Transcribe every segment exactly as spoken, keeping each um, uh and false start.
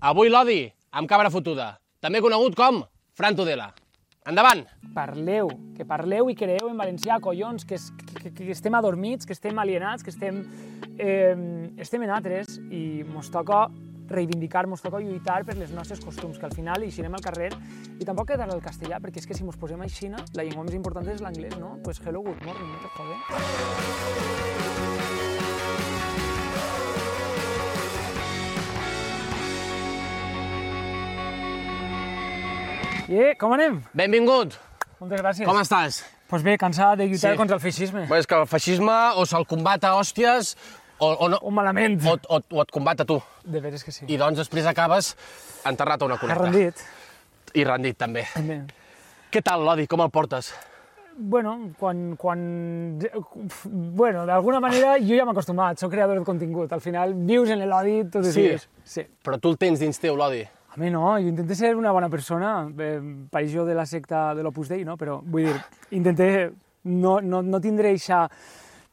Avui l'odi amb cabra fotuda, també conegut com Fran Tudela. Endavant! Parleu, que parleu i creeu en valencià, collons, que, que, que estem adormits, que estem alienats, que estem, eh, estem en altres i mos toca reivindicar, mos toca lluitar per les nostres costums, que al final eixirem al carrer i tampoc quedarà el castellà, perquè és que si mos posem a Xina, la llengua més important és l'anglès, no? Pues hello, good morning, no te jode. I com anem? Benvingut! Moltes gràcies. Com estàs? Pues bé, cansat de lluitar Sí. contra el feixisme. Bé, és que el feixisme o se'l combat a hòsties o, o, no, O malament. o, o, o et combat a tu. De veres que sí. I doncs després acabes enterrat a una Ha cuneta. rendit. I rendit, també. Bé. Què tal, l'odi? Com el portes? Bueno, quan... quan... Bueno, d'alguna manera jo ja m'he acostumat, soc creador de contingut. Al final vius en l'odi tots els Sí. dies. Sí. Però tu el tens dins teu, l'odi. A mi no, jo intento ser una bona persona, eh, pareix jo de la secta de l'Opus Dei, no? Però vull dir, intenté no, no, no tindre eixa,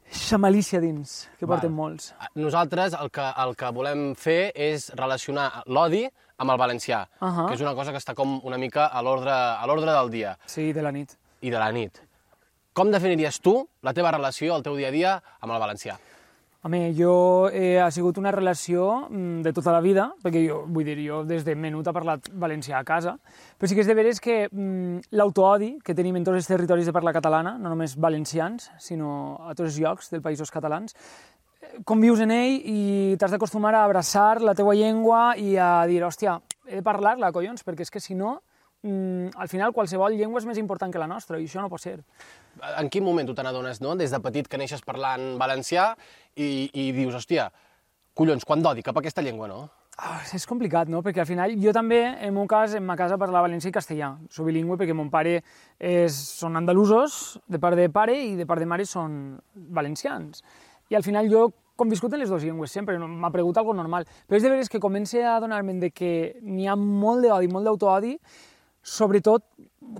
eixa malícia dins, que porten molts. Nosaltres el que, el que volem fer és relacionar l'odi amb el valencià, Ahà. que és una cosa que està com una mica a l'ordre a l'ordre del dia Sí, de la nit. i de la nit. Com definiries tu la teva relació, el teu dia a dia, amb el valencià? Home, jo eh, ha sigut una relació mm, de tota la vida, perquè jo, vull dir, jo des de menut he parlat valencià a casa, però sí que és de veres que mm, l'autoodi que tenim en tots els territoris de parla catalana, no només valencians, sinó a tots els llocs dels països catalans, eh, convius en ell i t'has d'acostumar a abraçar la teua llengua i a dir, hòstia, he de parlar-la, collons, perquè és que si no, mm, al final qualsevol llengua és més important que la nostra i això no pot ser. En quin moment tu te n'adones, no? Des de petit que neixes parlant valencià i, i dius, hòstia, collons, quant d'odi cap a aquesta llengua, no? Ah, és complicat, no? Perquè al final jo també, en meu cas, en ma casa parlava valencià i castellà. Soc bilingüe perquè mon pare és, són andalusos, de part de pare, i de part de mare són valencians. I al final jo conviscut en les dues llengües sempre, m'ha pregut algo normal. Però és de veres que comença a adonar-me'n de que n'hi ha molt d'odi, molt d'autoodi, sobretot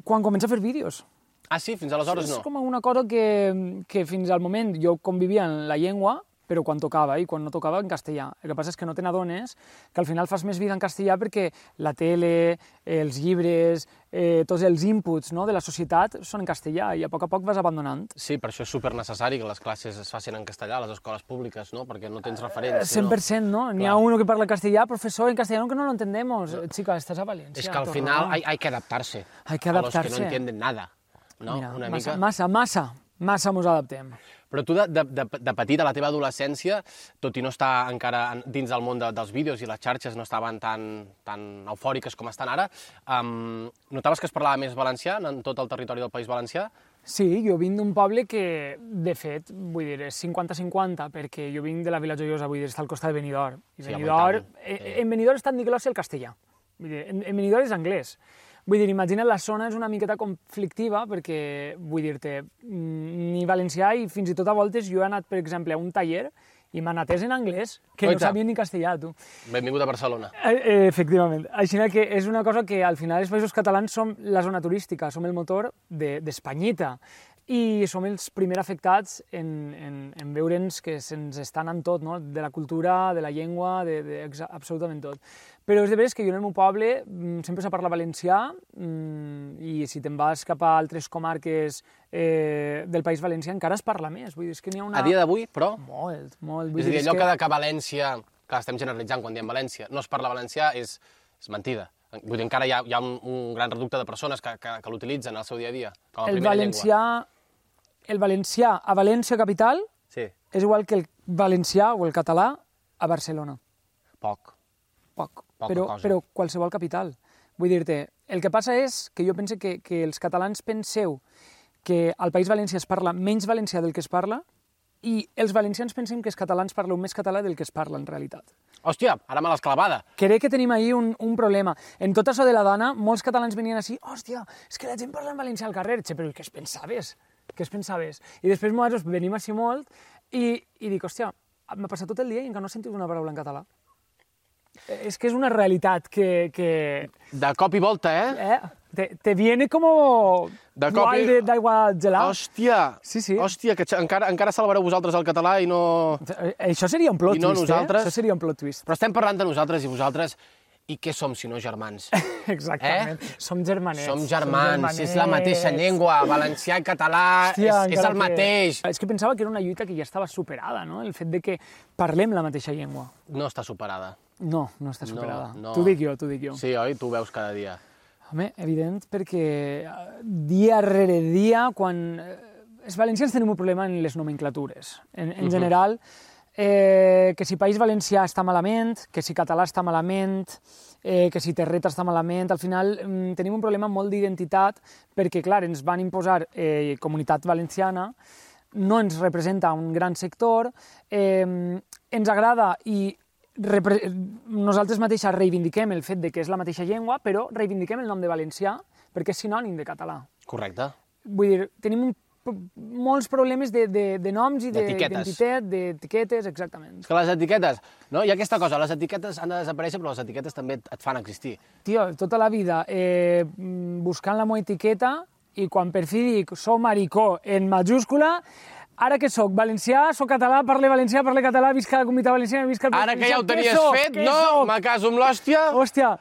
quan comença a fer vídeos. Ah, sí? Fins aleshores És no? com una cosa que, que fins al moment jo convivia en la llengua, però quan tocava, i quan no tocava en castellà. El que passa és que no te n'adones que al final fas més vida en castellà perquè la tele, els llibres, eh, tots els inputs, no, de la societat són en castellà i a poc a poc vas abandonant. Sí, per això és supernecessari que les classes es facin en castellà a les escoles públiques, no? Perquè no tens referents. cent per cent, ¿no? N'hi ha uno que parla castellà, profesor en castellano que no lo entendemos. Chica, estás a Valencia. Es que al torna. final hay, hay que adaptarse. Hay que A los que adaptarse. no entienden nada, no? Mira, Una massa, mica... massa, massa, massa mos adaptem. Però tu, de, de, de, de petit, a la teva adolescència, tot i no estar encara en- dins del món de, dels vídeos i les xarxes no estaven tan, tan eufòriques com estan ara, um, notaves que es parlava més valencià en tot el territori del País Valencià? Sí, jo vinc d'un poble que, de fet, vull dir, és cinquanta cinquanta, perquè jo vinc de la Vila Joiosa, vull dir, està al costat de Benidorm. I Sí, home, i Benidorm, tant. eh, Sí. en Benidorm està en Nicolás i el castellà. Vull dir, en, en Benidorm és anglès. Vull dir, imagina't, la zona és una miqueta conflictiva perquè, vull dir-te, mm, ni valencià i fins i tot a voltes jo he anat, per exemple, a un taller i m'han atès en anglès, que Oita. no sabia ni castellà, tu. Benvingut a Barcelona. Eh, eh, efectivament. Així que és una cosa que al final els països catalans som la zona turística, som el motor d'Espanyita i som els primers afectats en, en, en veure'ns que se'ns està anant tot, no? De la cultura, de la llengua, de, de exa- absolutament tot. Però és de veres que jo en el meu poble mm, sempre s'ha parlat valencià mm, i si te'n vas cap a altres comarques eh, del País Valencià encara es parla més. Vull dir, és que n'hi ha una... A dia d'avui, però, Molt, molt. Vull és a dir, és allò que... que... que a València, que estem generalitzant quan diem València, no es parla valencià, és, és mentida. Vull dir, encara hi ha, hi ha un, un gran reducte de persones que, que, que l'utilitzen al seu dia a dia, com a el primera valencià, el valencià a València capital llengua. Sí, és igual que el valencià o el català a Barcelona. poc. Poc, Poca però, cosa. però qualsevol capital. Vull dir-te, el que passa és que jo penso que, que els catalans penseu que al País Valencià es parla menys valencià del que es parla i els valencians pensem que els catalans parleu més català del que es parla en realitat. Hòstia, ara me l'has clavada. Crec que tenim ahir un, un problema. En tot això de la dona, molts catalans venien així, hòstia, és que la gent parla en valencià al carrer, che, però què es pensaves? Què es pensaves? I després nosaltres venim així molt i, i dic, hòstia, m'ha passat tot el dia i encara no he sentit una paraula en català. Eh, És que és una realitat que... que De cop i volta, eh? eh, te, te viene como De cop i- guai d'aigua gelada. Hòstia! Sí, sí. Hòstia, que encara, encara salvareu vosaltres el català i no... Eh, Això seria un plot I no twist, nosaltres. eh? Això seria un plot twist. Però estem parlant de nosaltres i vosaltres I què som si no germans? Exactament, eh? som germanets. Som germans, és la mateixa llengua, valencià i català, Hòstia, és, és el que... mateix. És que pensava que era una lluita que ja estava superada, no? El fet de que parlem la mateixa llengua. No està superada. No, no està superada. No, no. T'ho dic jo, t'ho dic jo. Sí, oi? Tu ho veus cada dia. Home, evident, perquè dia rere dia, quan... Els valencians tenim un problema en les nomenclatures. En, en uh-huh. general, eh, que si País Valencià està malament, que si català està malament, eh, que si terreta està malament, al final mm, tenim un problema molt d'identitat perquè, clar, ens van imposar eh, comunitat valenciana, no ens representa un gran sector, eh, ens agrada i repre- nosaltres mateixes reivindiquem el fet de que és la mateixa llengua, però reivindiquem el nom de valencià perquè és sinònim de català. Correcte. Vull dir, tenim un molts problemes de, de, de noms i d'identitat, d'etiquetes, exactament. És que les etiquetes, no? Hi ha aquesta cosa, les etiquetes han de desaparèixer, però les etiquetes també et fan existir. Tio, tota la vida eh, buscant la meva etiqueta i quan per fi dic soc maricó en majúscula, ara que soc valencià, soc català, parle valencià, parle català, visca la comunitat valenciana, visca el Ara que ja ho tenies fet, no? Me caso amb l'hòstia. Hòstia,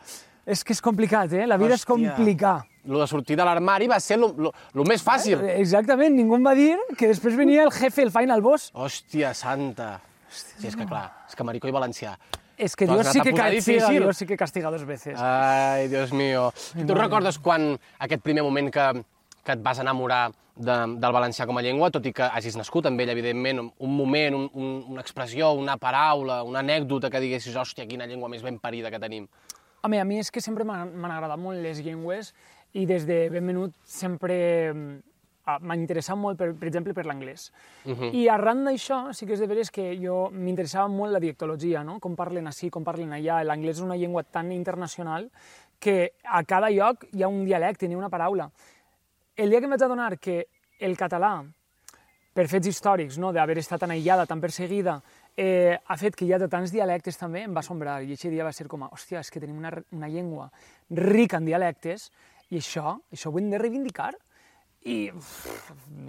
és que és complicat, eh? La vida és complicar. Lo de sortir de l'armari va ser el més fàcil. Exactament, ningú em va dir que després venia el jefe, el final boss. Hòstia santa. Hòstia, sí, és que clar, és que maricó i valencià. És que Dios sí que castiga, Dios sí que castiga dos veces. Ai, Dios mío. I tu recordes quan aquest primer moment que, que et vas enamorar de, del valencià com a llengua, tot i que hagis nascut amb ell, evidentment, un moment, un, un, una expressió, una paraula, una anècdota que diguessis, hòstia, quina llengua més ben parida que tenim. Home, a mi és que sempre m'han agradat molt les llengües i des de ben menut sempre m'ha interessat molt, per, per exemple, per l'anglès. Uh -huh. I arran d'això sí que és de veres que jo m'interessava molt la dialectologia, no? Com parlen així, com parlen allà. L'anglès és una llengua tan internacional que a cada lloc hi ha un dialecte, ni una paraula. El dia que em vaig adonar que el català, per fets històrics, no? D'haver estat tan aïllada, tan perseguida, eh, ha fet que hi ha de tants dialectes també, em va assombrar. I aquest dia va ser com, hòstia, és que tenim una, una llengua rica en dialectes i això, això ho hem de reivindicar. I,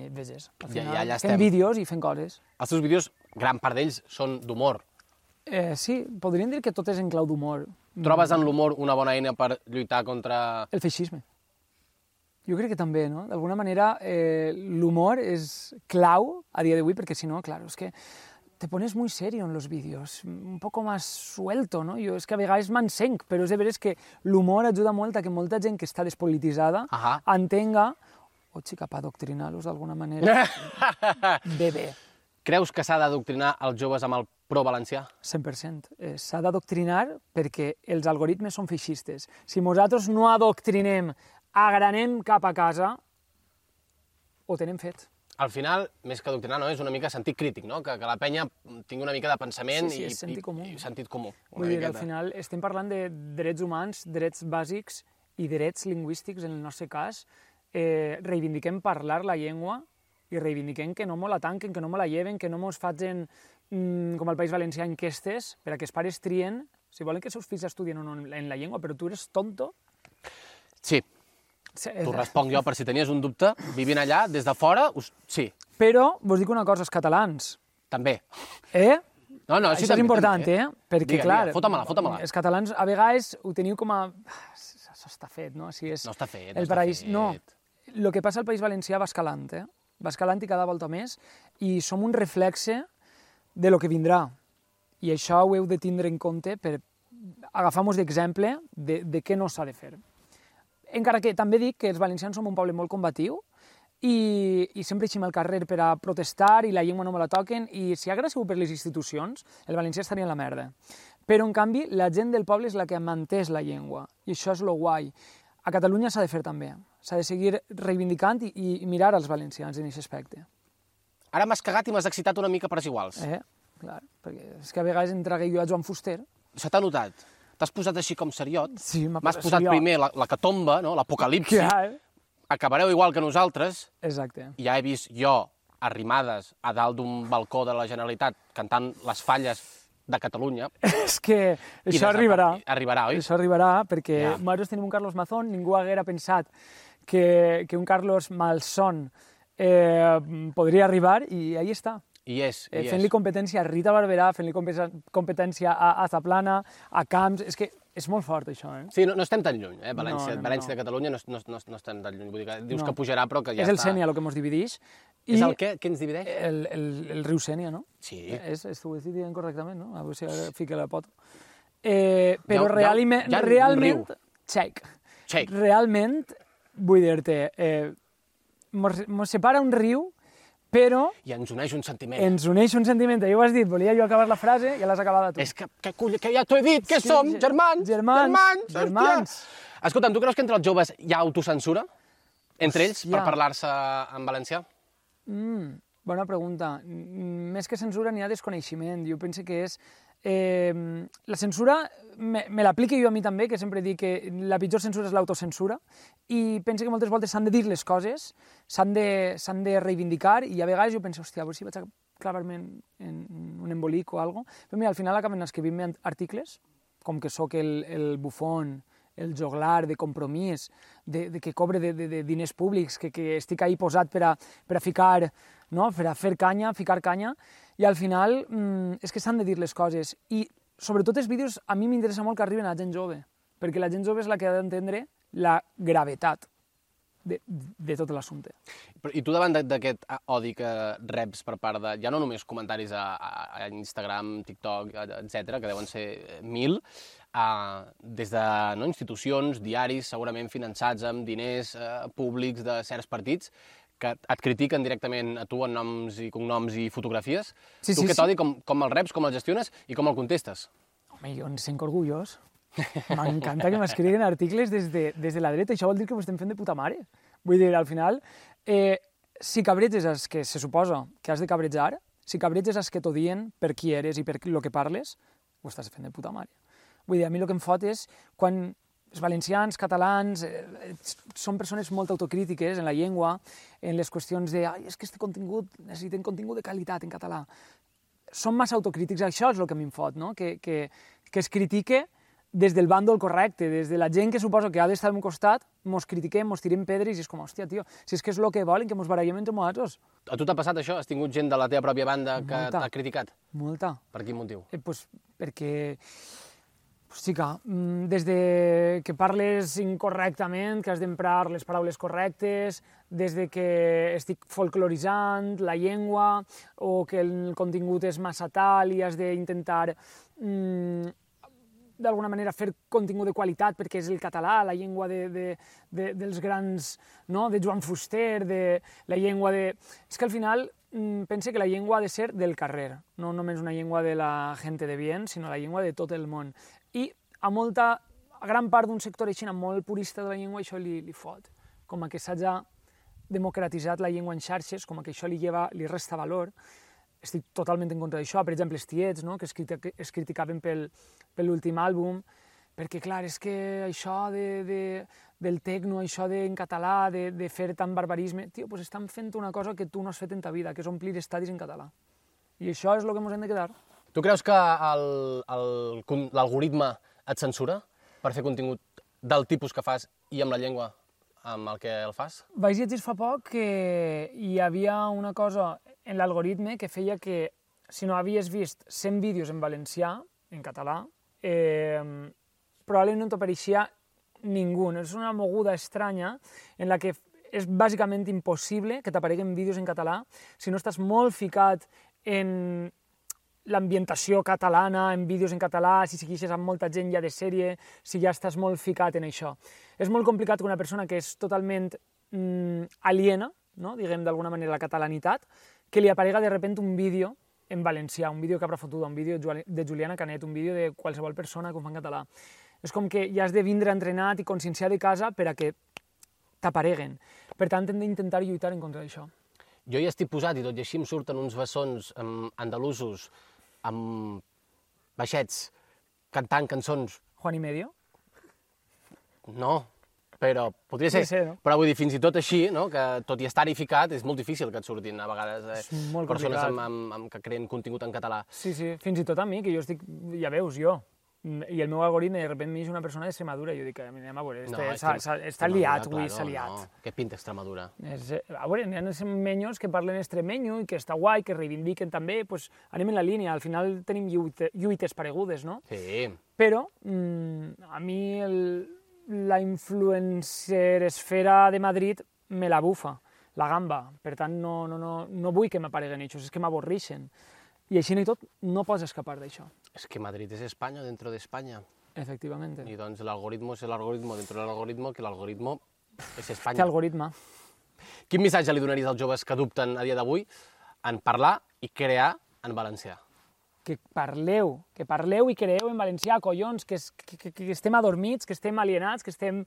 veges, al final, ja, ja fem vídeos i fem coses. Els teus vídeos, gran part d'ells, són d'humor. Eh, sí, podríem dir que tot és en clau d'humor. Trobes en l'humor una bona eina per lluitar contra... El feixisme. Jo crec que també, no? D'alguna manera, eh, l'humor és clau a dia d'avui, perquè si no, claro, és que te pones muy serio en los vídeos, un poco más suelto, no? Jo és que a vegades m'encenc, però és de veres que l'humor ajuda molt a que molta gent que està despolititzada Aha. entenga, o sí, cap a adoctrinar-los d'alguna manera, bé, bé. Creus que s'ha d'adoctrinar els joves amb el pro-valencià? cent per cent. Eh, s'ha d'adoctrinar perquè els algoritmes són feixistes. Si nosaltres no adoctrinem, agranem cap a casa, ho tenem fet. Al final, més que adoctrinar, no? És una mica sentit crític, no? Que, que la penya tingui una mica de pensament sí, sí, i, sentit comú. i, i sentit comú. Vull dir, al final estem parlant de drets humans, drets bàsics i drets lingüístics, en el nostre cas. Eh, reivindiquem parlar la llengua i reivindiquem que no mo la tanquen, que no mo la lleven, que no mos facin, mmm, com al País Valencià, enquestes per a que els pares trien si volen que els seus fills estudien o no en la llengua, però tu eres tonto. Sí. T'ho responc jo, per si tenies un dubte, vivint allà, des de fora, us... sí. Però, vos dic una cosa, els catalans... També. Eh? No, no, sí, això també, és important, també, eh? Perquè, digue, clar... Digue. Fota-me-la, fota-me-la. Els catalans, a vegades, ho teniu com a... Això està fet, no? Si és no està fet, el no està paraís... fet. No, el que passa al País Valencià va escalant, eh? Va escalant i cada volta més, i som un reflexe de lo que vindrà. I això ho heu de tindre en compte per agafar-nos d'exemple de, de què no s'ha de fer. Encara que també dic que els valencians som un poble molt combatiu i, i sempre eixim al carrer per a protestar i la llengua no me la toquen, i si hagués sigut per les institucions, el valencià estaria en la merda. Però, en canvi, la gent del poble és la que ha mantès la llengua, i això és lo guai. A Catalunya s'ha de fer també. S'ha de seguir reivindicant i, i mirar als valencians en aquest aspecte. Ara m'has cagat i m'has excitat una mica per iguals. Eh, clar, perquè és que a vegades entregué jo a Joan Fuster. Se t'ha notat. T'has posat així com seriot. Sí, m'ha M'has posat seriot. Primer la, la catomba, no? L'apocalipsi. Clar. Acabareu igual que nosaltres. Exacte. Ja he vist jo arrimades a dalt d'un balcó de la Generalitat cantant les falles de Catalunya. És que això arribarà. Arribarà, oi? Això arribarà, perquè ja. nosaltres tenim un Carlos Mazón, ningú haguera pensat que, que un Carlos Malson eh, podria arribar, i ahí està. I és, i eh, és. Fent-li competència a Rita Barberà, fent-li competència a, a Zaplana, a Camps... És que és molt fort, això, eh? Sí, no, no estem tan lluny, eh? València, No, no, València no. de Catalunya no, no, no, no estem tan lluny. Vull dir que dius No. que pujarà, però que ja És el està... Sénia el que ens divideix. És I el què? Què ens divideix? el, el, el riu Sénia, no? Sí. És, és, ho he dit dient correctament, no? A veure si ara fica la pota. Eh, però Hi ha- realment, hi ha un realment, riu. xec, Xec. realment, vull dir-te, eh, mos, mos separa un riu, però I ens uneix un sentiment. ens uneix un sentiment. Ja ho has dit, volia jo acabar la frase, ja l'has acabada tu. És que, que, cull- que ja t'ho he dit, que Sí, som? ge- Germans! germans, Germans! germans. Hòstia! Escolta'm, tu creus que entre els joves hi ha autocensura? Entre ells, per Hòstia. parlar-se en valencià? Mm, bona pregunta. Mm, Més que censura n'hi ha desconeixement. Jo penso que és... Eh, la censura me, me l'aplico jo a mi també, que sempre dic que la pitjor censura és l'autocensura, i penso que moltes voltes s'han de dir les coses, s'han de, s'han de reivindicar, i a vegades jo penso, hòstia, a veure si vaig a clavar-me en, en un embolic o alguna cosa. Però mira, al final acaben escrivint-me articles, com que sóc el, el bufón, el joglar de compromís, de, de que cobre de, de, de diners públics, que, que estic ahí posat per a, per a ficar, no? Per a fer canya, ficar canya, i al final mmm, és que s'han de dir les coses. I sobretot els vídeos a mi m'interessa molt que arriben a gent jove, perquè la gent jove és la que ha d'entendre la gravetat de, de tot l'assumpte. Però- I tu davant de- d'aquest odi que reps per part de, ja no només comentaris a, a, a Instagram, TikTok, etcètera, que deuen ser mil, a, des de no, institucions, diaris, segurament finançats amb diners eh, públics de certs partits, que et critiquen directament a tu en noms i cognoms i fotografies. Sí, tu sí, aquest sí. odi, com, com el reps, com el gestiones i com el contestes? Home, jo em sent orgullós. M'encanta que m'escriguin articles des de, des de la dreta. Això vol dir que ho estem fent de puta mare. Vull dir, al final, eh, si cabreges els que se suposa que has de cabrejar, si cabreges els que t'odien per qui eres i per el que parles, ho estàs fent de puta mare. Vull dir, a mi el que em fot és quan els valencians, catalans, eh, són persones molt autocrítiques en la llengua, en les qüestions de ai, és que este contingut, necessitem contingut de qualitat en català. Són massa autocrítics, això és el que a mi em fot, no? que, que, que es critique des del bàndol correcte, des de la gent que suposo que ha d'estar al meu costat, mos critiquem, mos tirem pedres i és com, hòstia, tio, si és que és el que volen, que mos barallem entre nosaltres. A tu t'ha passat això? Has tingut gent de la teva pròpia banda que Molta. t'ha criticat? Molta. Per quin motiu? Eh, pues, perquè, pues, sí que, mm, des de que parles incorrectament, que has d'emprar les paraules correctes, des de que estic folcloritzant la llengua, o que el contingut és massa tal i has d'intentar mm, d'alguna manera fer contingut de qualitat perquè és el català, la llengua de, de, de, dels grans, no? De Joan Fuster, de la llengua de... És que al final mm, pense que la llengua ha de ser del carrer, no només una llengua de la gent de bien, sinó la llengua de tot el món. I a molta, a gran part d'un sector així molt purista de la llengua això li, li fot, com a que s'hagi democratitzat la llengua en xarxes, com a que això li, lleva, li resta valor. Estic totalment en contra d'això. Per exemple, els tiets, no? que es, critica, es criticaven pel, per l'últim àlbum, perquè, clar, és que això de, de, del tecno, això de, en català, de, de fer tant barbarisme... Tio, doncs estan fent una cosa que tu no has fet en ta vida, que és omplir estadis en català. I això és el que ens hem de quedar. Tu creus que el- el- l'algoritme et censura per fer contingut del tipus que fas i amb la llengua amb el que el fas? Vaig llegir fa poc que hi havia una cosa en l'algoritme que feia que si no havies vist cent vídeos en valencià, en català, eh, probablement no t'apareixia ningú. És una moguda estranya en la que és bàsicament impossible que t'apareguen vídeos en català si no estàs molt ficat en l'ambientació catalana, en vídeos en català, si segueixes amb molta gent ja de sèrie, si ja estàs molt ficat en això. És molt complicat que una persona que és totalment mm, aliena, no? Diguem d'alguna manera la catalanitat, que li aparega de repente un vídeo en valencià, un vídeo Cabra Fotuda, un vídeo de Juliana Canet, un vídeo de qualsevol persona que ho fa en català. És com que ja has de vindre entrenat i conscienciar de casa per a que t'apareguen. Per tant, hem d'intentar lluitar en contra d'això. Jo hi estic posat i tot i així em surten uns bessons um, andalusos amb baixets cantant cançons. Juan y medio? No, però podria ser. Podria ser, no? Però vull dir, fins i tot així, no? Que tot i estar-hi ficat, és molt difícil que et surtin a vegades eh, És molt persones complicat. amb, amb, amb, que creen contingut en català. Sí, sí, fins i tot a mi, que jo estic, ja veus, jo, I el meu algoritme de sobte m'eix una persona d'Extremadura i jo dic, anem a veure, No, este, és s'ha- que- s'ha- està Extremadura, liat, avui claro, s'ha liat. no. Què pinta Extremadura? És, eh, a veure, hi ha els menyos que parlen extremenyo i que està guai, que reivindiquen també, pues, anem en la línia, al final tenim lluite, lluites paregudes, no? Sí. Però mm, a mi el, la influencer esfera de Madrid me la bufa, la gamba. Per tant, no, no, no, no vull que m'apareguen ells, és que m'avorreixen. I així i tot, no pots escapar d'això. Es que Madrid es España dentro de España. Efectivamente. Y entonces el algoritmo es el algoritmo dentro del algoritmo, que l'algoritmo és Té Espanya. algoritme. Quin missatge li donaries als joves que dubten a dia d'avui en parlar i crear en valencià? Que parleu, que parleu i creeu en valencià, collons, que, es, que, que, que estem adormits, que estem alienats, que estem,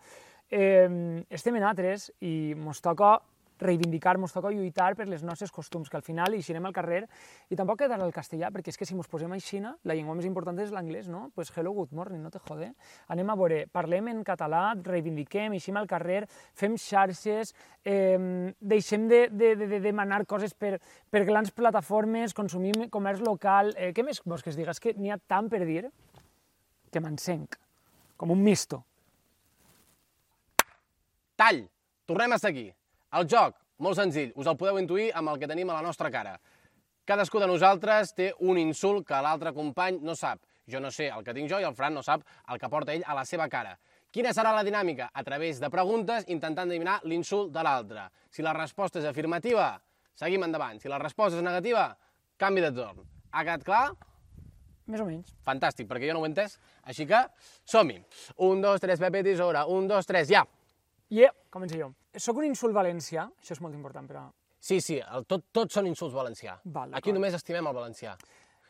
eh, estem en altres i mos toca reivindicar, mos toca lluitar per les nostres costums, que al final eixirem al carrer i tampoc quedarà el castellà, perquè és que si mos posem així, la llengua més important és l'anglès, no? Pues hello, good morning, no te jode. Anem a veure, parlem en català, reivindiquem, eixim al carrer, fem xarxes, eh, deixem de, de, de, de demanar coses per, per grans plataformes, consumim comerç local. Eh, què més vols que es diga? És que n'hi ha tant per dir que m'encenc, com un misto. Tall! Tornem a seguir. El joc, molt senzill, us el podeu intuir amb el que tenim a la nostra cara. Cadascú de nosaltres té un insult que l'altre company no sap. Jo no sé el que tinc jo i el Fran no sap el que porta ell a la seva cara. Quina serà la dinàmica? A través de preguntes, intentant adivinar l'insult de l'altre. Si la resposta és afirmativa, seguim endavant. Si la resposta és negativa, canvi de torn. Ha quedat clar? Més o menys. Fantàstic, perquè jo no ho he entès. Així que, som-hi. Un, dos, tres, Pepe Tisora. Un, dos, tres, ja. Yeah, començo jo. Soc un insult valencià, això és molt important per a... Sí, sí, el, tot, tots són insults valencià. Val, Aquí d'acord. només estimem el valencià.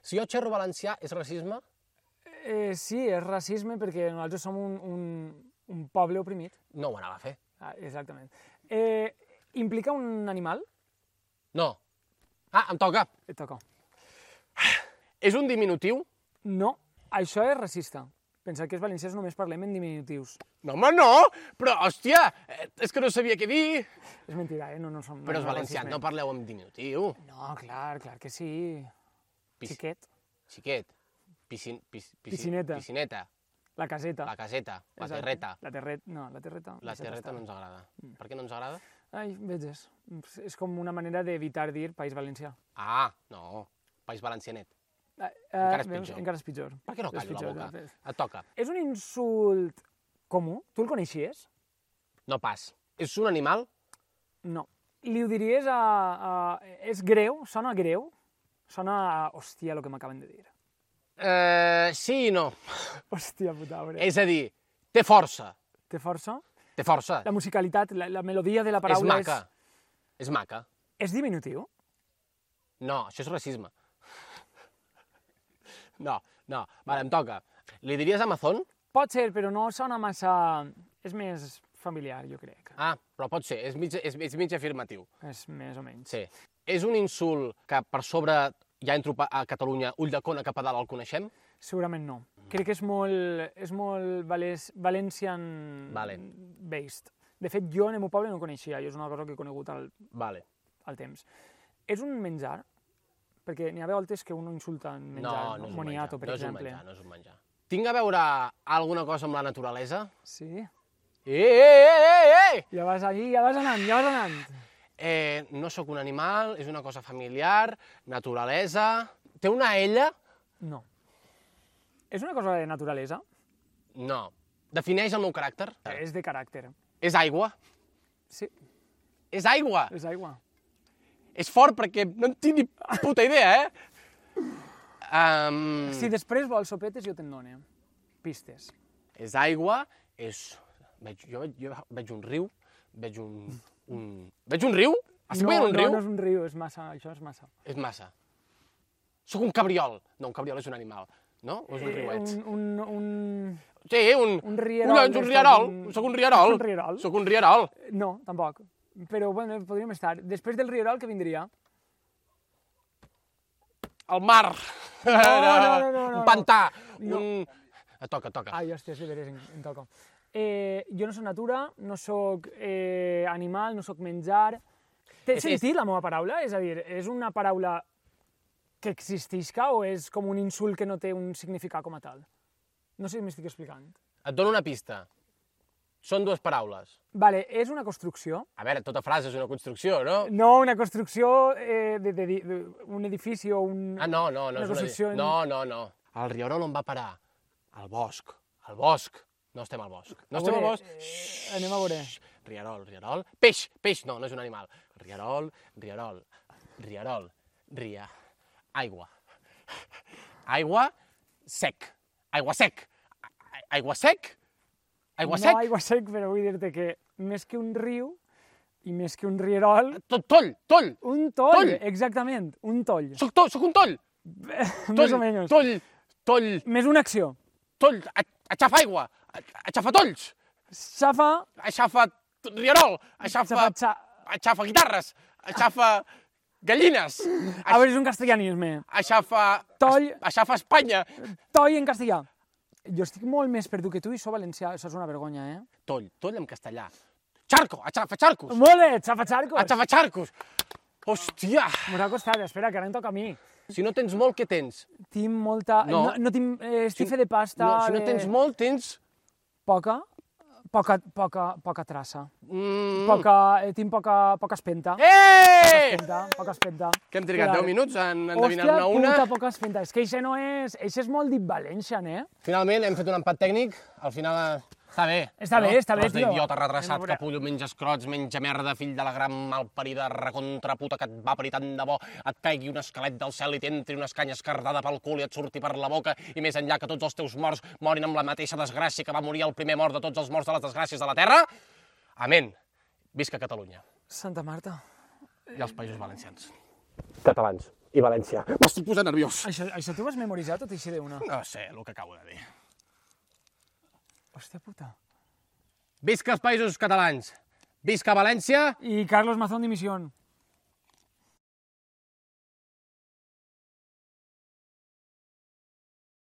Si jo xerro valencià, és racisme? Eh, sí, és racisme perquè nosaltres som un, un, un poble oprimit. No ho anava a fer. Ah, exactament. Eh, implica un animal? No. Ah, em toca. Et toca. És un diminutiu? No, això és racista. Pensar que els valencians només parlem en diminutius. No, home, no! Però, hòstia, eh, és que no sabia què dir. És mentida, eh? No, no som... Però els no, valencians no racisme. parleu en diminutiu. No, clar, clar que sí. Pis- Xiquet, Xiquet. Piscin, pis, piscin, Piscineta. Piscineta. la caseta. La caseta. La Exacte. terreta. La terreta, no, la terreta. La deixa't terreta estar. no ens agrada. Per què no ens agrada? Ai, veges, és com una manera d'evitar dir País Valencià. Ah, no. País Valencianet. Eh, Encara és veus? pitjor. Encara és pitjor. Per què no És callo la pitjor, boca? ja ves. Et toca. És un insult comú? Tu el coneixies? No pas. És un animal? No. Li ho diries a, a... És greu? Sona greu? Sona a... Hòstia, el que m'acaben de dir. Eh, sí i no. Hòstia puta, veure. És a dir, té força. Té força? Té força. La musicalitat, la, la melodia de la És paraula maca. És maca. és... És diminutiu? No, això és racisme. No, no. Vale, em toca. Li diries Amazon? Pot ser, però no sona massa... És més familiar, jo crec. Ah, però pot ser. És mig, és, és mig afirmatiu. És més o menys. Sí. És un insult que per sobre, ja entro pa- a Catalunya, Ulldecona cap a dalt el coneixem? Segurament no. Crec que és molt, és molt vales, valencian Vale. based. De fet, jo en el meu poble no ho coneixia, jo és una cosa que he conegut al, Vale. al temps. És un menjar? Perquè n'hi ha voltes que un insulta en menjar, No, no és un moniato, menjar. per no és un exemple. menjar, no és un menjar. Tinc a veure alguna cosa amb la naturalesa? Sí? Eh, eh, eh, eh, eh! Ja vas allí, ja vas anant, ja vas anant. Eh, no sóc un animal, és una cosa familiar, naturalesa... Té una ella? No. És una cosa de naturalesa? No. Defineix el meu caràcter? És de caràcter. És aigua? Sí, És aigua! és aigua. És fort perquè no en tinc ni puta idea, eh? Um, Si després vols sopetes, jo te'n dono. Pistes. És aigua, és... Veig, jo, veig, jo veig un riu, veig un... un... Veig un riu? Estic no, veient un no, riu? no és un riu, és massa, això és massa. És massa. Sóc un cabriol. No, un cabriol és un animal, no? O és un riuet? Eh, un, un, un... Sí, un... un rierol Collons, un d'estos, rierol. un- Sóc un rierol. Un rierol? Sóc un rierol. No, tampoc. Però, bueno, podríem estar. Després del rierol, què vindria? El mar. no, no, no, no. Un pantà. No. Un... Et toca, et toca. Ai, hòstia, de veres, em, em toca. Eh, jo no soc natura, no sóc eh, animal, no sóc menjar. Té És- sentit la meva paraula? És a dir, és una paraula que existisca o és com un insult que no té un significat com a tal? No sé si m'estic explicant. Et dono una pista. Són dues paraules. Vale, és una construcció. A veure, tota frase és una construcció, no? No una construcció eh, de, de, de, un edifici o un... Ah, no, no, no una és una... construcció... No, no, no. El rierol on va parar? Al bosc. Al bosc. No estem al bosc. No estem al bosc. Eh, anem a veure. Rierol, rierol. Peix, peix. No, no és un animal. Rierol, rierol, rierol, ria. Aigua. Aigua sec. Aigua sec. Aigua sec? Aigua sec? No aigua sec, però vull dir-te que més que un riu i més que un rierol... Tot, toll, toll! Un toll, Toll. exactament, un toll. Soc, to, soc un toll! Més o menys. Toll, toll, Més una acció. toll, a- aixafa aigua, a- aixafa tolls, Xafa... aixafa rierol, aixafa, Xafa... Xa... aixafa guitarres, aixafa gallines, A veure, és un castellanisme. aixafa... Toll. Aixafa Espanya. Toll en castellà. Jo estic molt més perdut que tu i soc valencià, això és una vergonya, eh? Toll, toll en castellà. Charco, aixafa charcos, Molt bé, xafa xarcos. aixafa charcos. Hòstia! M'ha costat, espera, que ara em toca a mi. Si no tens molt, què tens? Tinc molta... No. No, no tinc eh, estife de pasta... No, si no de- tens molt, tens... Poca, poca, poca, poca traça. Mm. Poca, eh, tinc poca, poca espenta. Eh! Espenta, poca espenta. Que hem trigat Clar. deu minuts en endevinar-ne Hòstia una. puta, poca espenta. És que això no és... Això és molt dit Valencian, eh? Finalment hem fet un empat tècnic, al final eh, està bé. Està bé, està bé, Tros tio. d'idiota Anem a retrasat, veure. capullo, menja escrots, menja merda, fill de la gran malparida recontraputa que et va parir tant de bo, et caigui un esquelet del cel i t'entri una escanya escardada pel cul i et surti per la boca, i més enllà que tots els teus morts morin amb la mateixa desgràcia que va morir el primer mort de tots els morts de les desgràcies de la Terra. Amén. Visca Catalunya Santa Marta. i els països valencians. Catalans i València. M'estic posant nerviós. Això, això t'ho has memoritzat o t'hi d'una? No sé el que acabo de dir. Hòstia puta. Visca els països catalans. Visca València. I Carlos Mazón dimisión.